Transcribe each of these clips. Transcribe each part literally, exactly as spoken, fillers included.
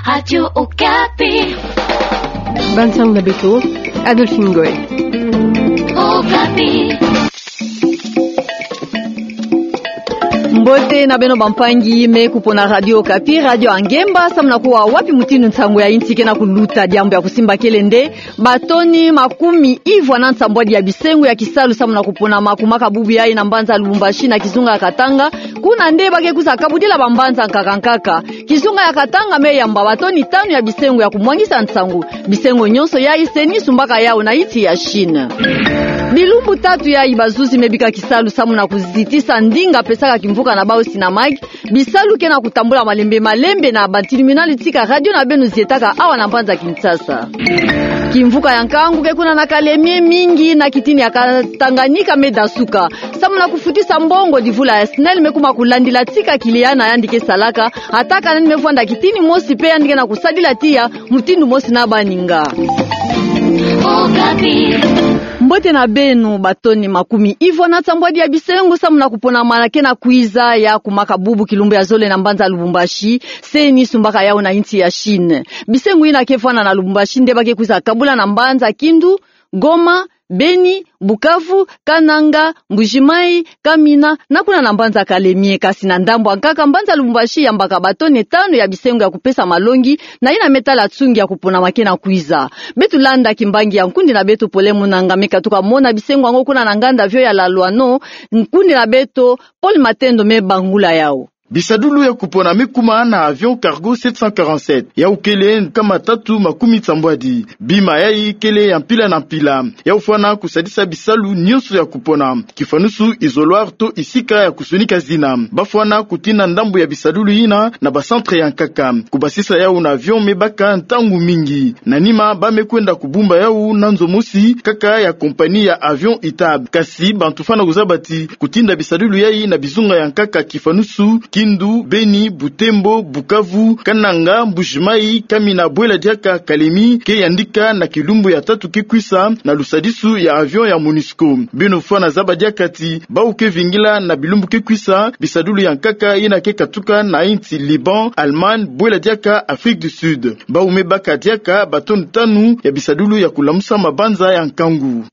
Radio Okapi. Banzang na beto, Adolphine Ngoy. Okapi. Mbote na beno bampangi me kupona Radio Okapi, radio ya ngemba, samu na kuwa wapi mutindu nsangu ya insi ke na kuluta. Diambu ya kusimba kele nde, batoni makumi ivwa na nsambwadi ya bisengo ya kisalu samu na kuponama kumaka bubu yayi na mbanza Lubumbashi na kizunga ya Katanga, kuna nde ba ke kwiza kabudila bambanza nkaka nkaka. Kizunga ya Katanga me yamba batoni tanu ya bisengo ya kumwangisa nsangu. Bisengo nyonso yayi CENI sumbaka yawu na insi ya Chine. Bilumbu tatu yayi bazuzi me bika kisalu samu na kuzitisa ndinga pesaka kimvuka na bawu SYNAMAG, bisalu ke na kutambula malembe malembe na batribunal tika radio na beno zietaka awa na mbanza Kinshasa. Kimvuka ya nkangu ke kuna na kalemie mingi na kitini ya Ka-, Tanganyika me dasuka. Samu na kufutisa mbongo, divula ya SNEL me kuma kulandila tika client na yandi ke salaka, ata ka nani me vwanda kitini mosi pe yandi ke na kusadila tiya mutindu mosi na baninga. Mbote na beno, batoni makumi ivwa na nsambwadi ya bisengo samu na kuponama ke na kwiza ya kumaka bubu kilumbu ya zole na mbanza Lubumbashi, CENI sumbaka yawu na insi ya Chine. Bisengo yina ke vwanda na Lubumbashi nde ba ke kwiza kabula na mbanza Kindu, Goma, Beni, Bukavu, Kananga, Mbujimayi, Kamina, na kuna na mbanza Kalemie. Kasi na ndambu ya nkaka, mbanza Lubumbashi yambaka batoni tanu ya bisengo ya kupesa malongi na yina me tala nsungi ya kuponama ke na kwiza. Beto landa kimbangi ya nkundi na beto Pole Munanga me katuka mona bisengo yango kuna na nganda avion ya Laluano, nkundi na beto Paul Matendo me bangula yawu. Bisadulu ya kupona me kuma na avion cargo sept cent quarante-sept. Yawu kele nkama tatu makumi nsambwadi. Bima yayi kele ya mpila na mpila. Yawu fwana kusadisa bisalu nyonso ya kupona, kifanusu isoloir to isika ya kusonika zina. Ba fwana kutina ndambu ya bisadulu yina na ba centre ya nkaka, kubasisa yawu na avion me baka ntangu mingi. Na nima ba me kwenda kubumba yawu na nzo mosi kaka ya compagnie ya avion Itab. Kasi bantu fwana kuzaba ti kutinda bisadulu yayi na bizunga ya nkaka kifanusu Kindu, Beni, Butembo, Bukavu, Kananga, Mbujimayi, Kamina, bwela diaka Kalemie, ke yandika na kilumbu ya tatu ke kwisa na lusadisu ya avion ya MONUSCO. Beno fwana zaba diaka ti bawu ke vingila na bilumbu ke kwisa bisadulu ya nkaka yina ke katuka na insi Liban, Allemagne, bwela diaka Afrique du Sud. Bawu me baka diaka batoni tanu ya bisadulu ya kulamusa mabanza ya nkangu.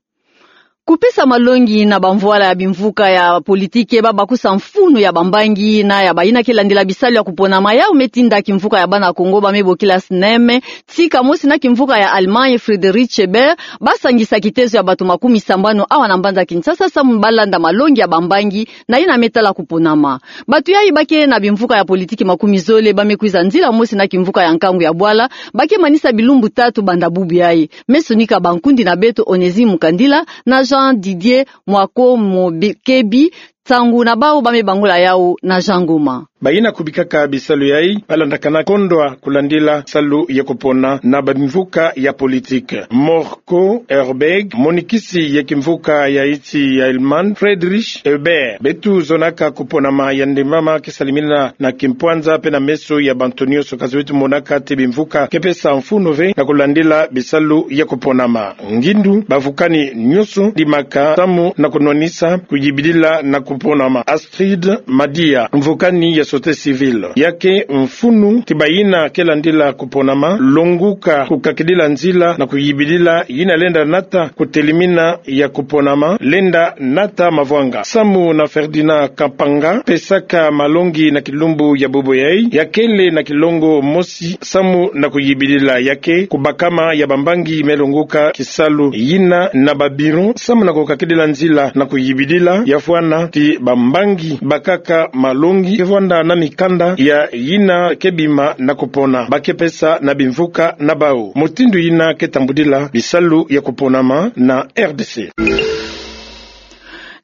Kupesa malongi na bamvwala ya bimvuka ya politiki ba bakusa mfunu ya bambangi na ya bayina ke landila bisalu ya kuponama, yawu me tinda kimvuka ya bana Kongo ba me bokila SNEM, tika mosi na kimvuka ya Allemagne Friedrich Ebert, ba sangisa kitezo ya bato makumi sambanu awa na mbanza Kinshasa samu ba landa malongi ya bambangi na yina me tala kuponama. Bato yayi ba ke na bimvuka ya politiki makumi zole, ba me kwiza nzila mosi na kimvuka ya nkangu ya bwala, ba ke manisa bilumbu tatu banda bubu yayi. Me sonika bankundi na beto Onésime Mukandila na Jean Didier Mwako Mokebi, nsangu na bawu ba me bangula yawu na Jean Ngoma. Bayina kubikaka bisalu yayi ba landakana kondwa kulandila salu ya kupona na bamvuka ya politiki. Mor- ko Herberg, monikisi ya kimvuka ya insi ya Allemagne, Friedrich Ebert. Beto zonaka kuponama ya ndemama ke salimina na kimpwanza pe na meso ya bantu nyonso, kasi beto monaka ti bimvuka ke pesa mfunu ve na kulandila bisalu ya kuponama. Ngindu bavukani nyonso dimaka samu na kunwanisa kuyibidila na kuponama. Astrid Madia, mvukani ya société civile, ya ke mfunu ti bayina ke landila kuponama, longuka kukakidila nzila na kuyibidila yina lenda nata kutelimina ya kuponama, lenda nata mavwanga. Samu na Ferdinand Kampanga, pesaka malongi na kilumbu ya bubu yayi, ya kele na kilongo mosi samu na kuyibidila, ya ke kubakama ya bambangi me longuka kisalu yina na ba bureau samu na kukakidila nzila na kuyibidila, ya fwana ti bambangi bakaka malongi ke vwanda na mikanda ya yina ke bima na kupona ba ke pesa na bimvuka na bawu. Mutindu yina ke tambudila bisalu ya kuponama na R D C.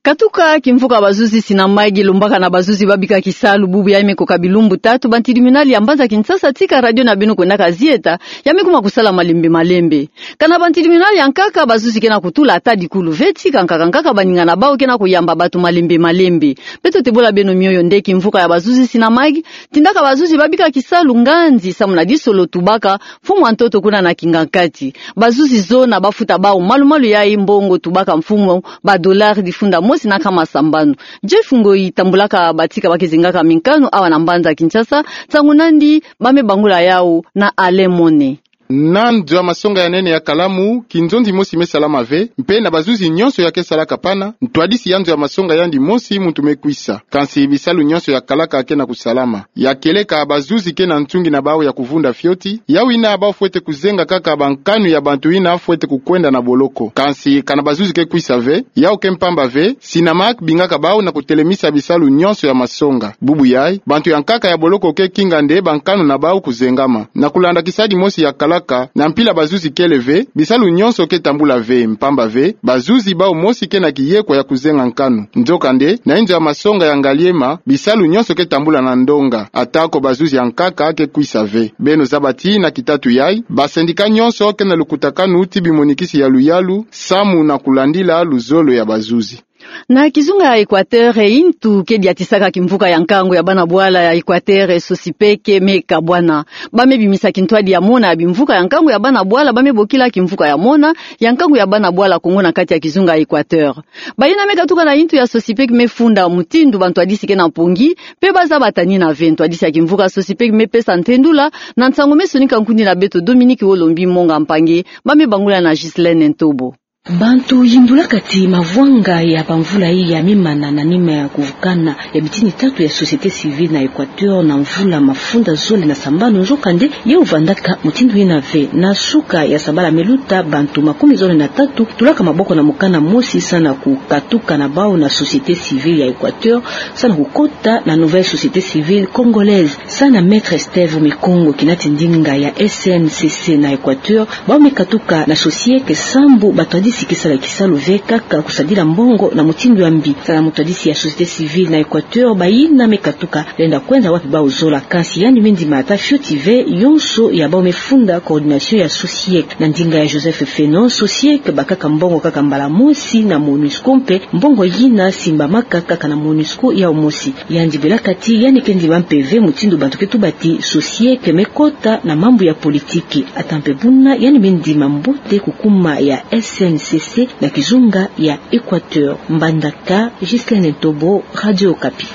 Katuka kimvuka bazuzi SYNAMAG lombaka na bazuzi ba bika kisalu bubu yayi me koka bilumbu tatu, ba tribunal ya mbanza Kinshasa tika radio na beno kwendaka zieta, ya me kuma kusala malembe malembe. Kana ba tribunal ya nkaka bazuzi ke na kutula ata dikulu ve, tika nkaka nkaka baninga na bawu ke na kuyamba bato malembe malembe. Beto tebola beno mioyo nde kimvuka ya bazuzi SYNAMAG tindaka bazuzi ba bika kisalu nganzi samu na disolo tubaka mfumu wa ntoto kuna na kingakati. Bazuzi zona bafuta bawu malu malu yayi mbongo tubaka mfumu ba dollar difunda mosi na nkama sambanu. Jeff Ngoi tambulaka batika ba ke zengaka mikanu awa na mbanza Kinshasa, nsangu nandi ba me bangula yawu na Alain Mone. Na nzo ya masonga ya nene ya Kalamu, kinzonzi mosi me salama ve, mpe na bazuzi nyonso ya ke salaka pana, ntwadisi ya nzo ya masonga yandi mosi muntu me kwisa. Kansi bisalu nyonso ya kalaka ke na kusalama. Ya kieleka bazuzi ke na ntungi na bawu ya kuvunda fioti, yawu yina bawu fwete kuzenga kaka bankanu ya bantu yina fwete kukwenda na boloko. Kansi kana bazuzi ke kwisa ve, yawu ke mpamba ve, Synamak bingaka bawu na kutelemisa bisalu nyonso ya masonga. Bubu yayi, bantu ya nkaka ya boloko ke kinga nde bankanu na bawu kuzengama. Na kulanda kisadi mosi ya kalaka, na mpila bazuzi kele ve, bisalu nyonso ke tambula ve, mpamba ve, bazuzi bawu mosi ke na kiyekwa ya kuzenga nkanu. Nzokande, na inzo ya masonga ya Ngaliema, bisalu nyonso ke tambula na ndonga, atako bazuzi ya nkaka ke kwisa ve. Beno zaba ti na kitatu yayi, basendika nyonso ke na lukutakanu ti bimonikisi ya luyalu, samu na kulandila luzolo ya bazuzi. Na kizunga ya Equateur, intu ke diatisaka kimvuka ya nkangu ya bana bwala ya Equateur, Sosipec, me kabwana. Ba me bimisa kintwadi ya mona ya bimvuka ya nkangu ya bana bwala, ba me bokila kimvuka ya mona ya nkangu ya bana bwala Kongo na kati ya kizunga ya Equateur. Bayina me katuka na intu ya Sosipec me funda mutindu bantwadisi ke na mpongi, mpe ba zaba ti yina ve ntwadisi ya kimvuka Sosipec me pesa ntendula, na nsangu me sonika nkundi na beto Dominique Olombi Monga Mpangi, ba me bangula na Ghislaine Ntobo. Bantu yindulaka ti mavwanga ya bamvula yi ya me mana na nima ya kuvukana ya bitini tatu ya société civile na Equateur na mvula mafunda zole na sambanu, nzokande yawu vandaka mutindu yina ve. Na suka ya sabala me luta, bantu makumi zole na tatu tulaka maboko na mukana mosi samu na kukatuka na bawu na société civile ya Equateur, samu na kukota na nouvelle société civile congolaise, samu na Maître Steve Mikongo, kinati ndinga ya S N C C na Equateur. Bawu me katuka na Sosiec, sambu bantwadisi ke sala kisalu ve, kaka kusadila mbongo na mutindu ya mbi. Samu na mutwadisi ya société civile na Equateur, bayina me katuka lenda kwenda wapi bawu zola, kansi yandi me ndima ata fioti ve yonso ya bawu me funda coordination ya Sosiec. Na ndinga ya Joseph Fenon, Sosiec bakaka mbongo kaka mbala mosi na MONUSCO, mpe mbongo yina simbamaka kaka na MONUSCO yawu mosi. Yandi bilaka ti yandi ke ndima mpe ve mutindu bantu ke tuba ti Sosiec me kota na mambu ya politiki. Ata mpe buna, yandi me ndima mbote kukuma ya S N C C na kizunga ya Equateur. Mbandaka, Ghislaine Ntobo, Radio Okapi.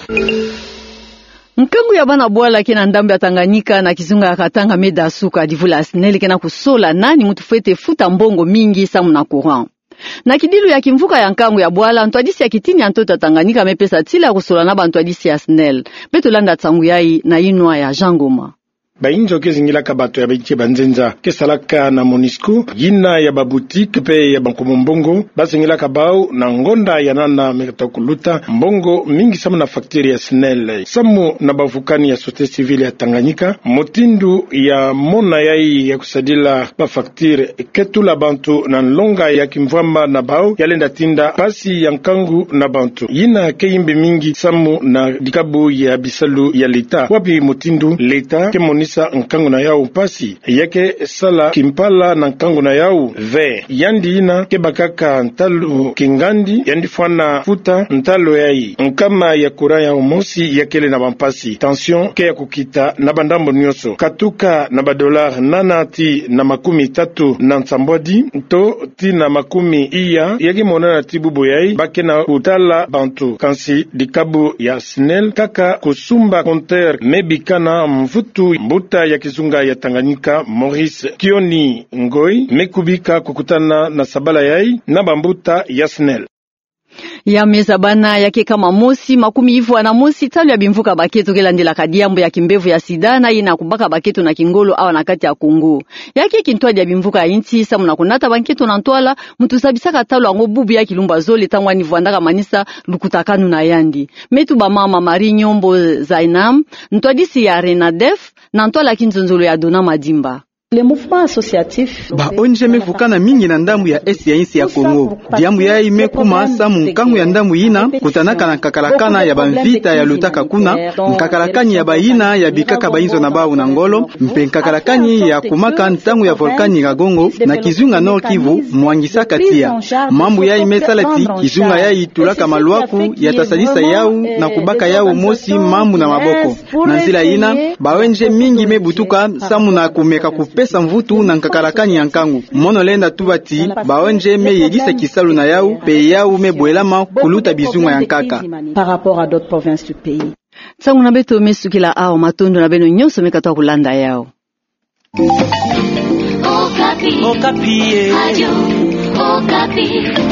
Nkangu ya bana bwala ke na ndambu ya Tanganyika na kizunga ya Katanga me dasuka, divula ya SNEL ke na kusola nani muntu fwete futa mbongo mingi samu na courant. Na kidilu ya kimvuka ya nkangu ya bwala, ntwadisi ya kitini ya ntoto ya Tanganyika me pesa tila ya kusola na bantwadisi ya SNEL. Beto landa nsangu yayi na yinwa ya Jean Ngoma. Bayinzo ke zingilaka bato ya bike banzenza ke salaka na MONUSCO, yina ya baboutique mpe ya bankomo mbongo, ba zingilaka bawu na ngonda ya nana me kata kuluta mbongo mingi samu na facture ya SNEL. Samu na bavukani ya société civile ya Tanganyika, mutindu ya mona yayi ya kusadila ba facture ke tula bantu na nlonga ya kimvwama na bawu, ya lenda tinda mpasi ya nkangu na bantu. Yina ke yimbi mingi samu na dikabu ya bisalu ya leta, wapi mutindu leta ke monisa nkangu na yawu mpasi, ya ke sala kimpala na nkangu na yawu ve. Yandi yina ke bakaka ntalu kingandi, yandi fwana futa ntalu yayi. Nkama ya courant yawu mosi ya kele na bampasi. Tension ke ya kukita na bandambu nyonso. Katuka na ba dollars nana tii na makumi tatu na nsambwadi, to tii na makumi iya, ya ke monana ti bubu yayi ba ke na kutala bantu. Kansi dikabu ya SNEL kaka kusumba compteur me bikana mvutu. Mbuta ya kizunga ya Tanganyika, Maurice Kioni Ngoi, me kubika kukutana na sabala yayi na bambuta ya SNEL. Ya me zabana, ya ke kama mosi makumi ivwa na mosi ntalu ya bimvuka bakento ke landelaka diambu ya kimbevo ya sida na yina kubaka bakento na kingolo awa na kati ya Kongo. Ya ke kintwadi ya bimvuka ya insi samu na kunata bankento na ntwala, muntu zabisaka ntalu yango bubu ya kilumbu ya zole ntangu yandi vwandaka manisa lukutakanu na yandi. Me tuba mama Marie Nyombo Zainam, ntwadisi ya RENADEF, na ntwala kinzonzolo ya Dona Madimba. Le mouvement associatif. Ba ONG me vukana mingi na ndambu ya est ya insi ya Kongo. Diambu yayi me kuma samu nkangu ya ndambu yina kutanaka na nkakalakana ya bamvita ya lutaka kuna, nkakalakani ya bayina ya bikaka bayinzo na bawu na ngolo, mpe nkakalakani ya kumaka ntangu ya volcan Nyiragongo na kizunga Nord-Kivu mwangisaka tiya. Mambu yayi me sala ti kizunga yayi tulaka malwaku ya ta sadisa yawu na kubaka yawu mosi mambu na maboko. Na nzila yina, ba ONG mingi me butuka samu na kumeka kupe- pesa mvutu na nkakala kani ya nkangu. Mono lenda tuba ti, baonje me yedisa kisalu na yau, mpe yau me bwelama kuluta bizunga ya nkaka. Par rapport à d'autres provinces du pays. Nsangu na beto me sukila awa, matondo na beno nyonso me katoa kulanda yau. Okapi. Okapi, eh. Radio Okapi.